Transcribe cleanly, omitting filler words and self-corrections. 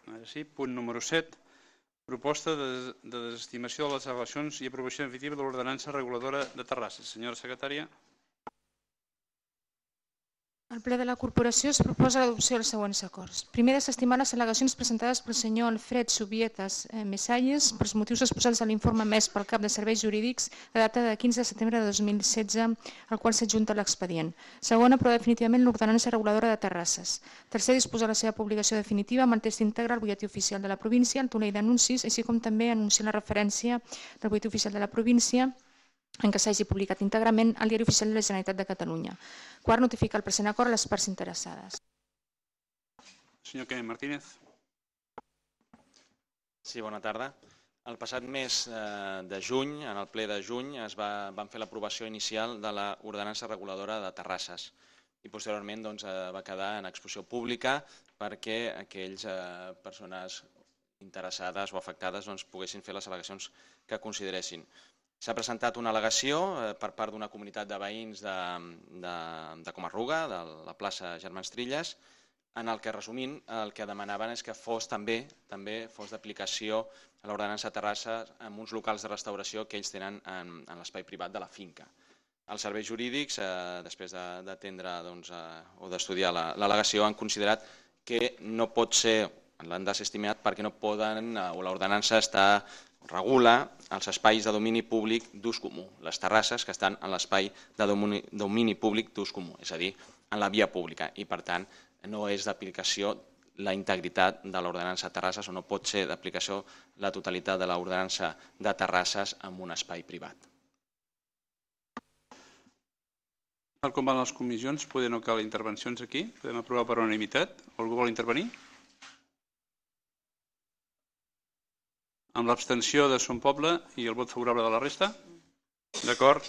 Ara sí, punt número 7. Proposta de desestimació de les al·legacions i aprovació definitiva de l'ordenança reguladora de Terrassa. Senyora secretària. Al ple de la corporació es proposa l'adopció dels següents acords. Primer, desestimar les al·legacions presentades pel senyor Alfred Subietas Messalles pels motius exposats a l'informe emès pel cap de serveis jurídics de data de 15 de setembre de 2016, al qual s'adjunta l'expedient. Segon, aprovar definitivament l'ordenança reguladora de Terrasses. Tercer, disposar la seva publicació definitiva amb el text íntegre al butlletí oficial de la província, el tonell d'anuncis, així com també anunciar la referència del butlletí oficial de la província en què s'hagi publicat íntegrament al Diari Oficial de la Generalitat de Catalunya. Quart, notificar el present acord a les parts interessades. Senyor Kenneth Martínez. Sí, bona tarda. El passat mes de juny, en el ple de juny, vam fer l'aprovació inicial de l'ordenança reguladora de Terrasses i posteriorment va quedar en exposició pública perquè aquells persones interessades o afectades poguessin fer les al·legacions que consideressin. S'ha presentat una al·legació per part d'una comunitat de veïns de Comarruga, de la plaça Germans Trilles, en el que, resumint, el que demanaven és que fos també fos d'aplicació a l'ordenança de Terrassa en uns locals de restauració que ells tenen en l'espai privat de la finca. Els serveis jurídics, després d'atendre o d'estudiar l'al·legació, han considerat que no pot ser, l'han desestimat perquè no poden, o l'ordenança regula els espais de domini públic d'ús comú, les terrasses que estan en l'espai de domini públic d'ús comú, és a dir, en la via pública, i per tant no és d'aplicació la integritat de l'ordenança de Terrasses o no pot ser d'aplicació la totalitat de l'ordenança de Terrasses en un espai privat. Tal com van les comissions, poder no cal intervencions aquí, podem aprovar per unanimitat. Algú vol intervenir? Amb l'abstenció de Son Poble i el vot favorable de la resta? D'acord.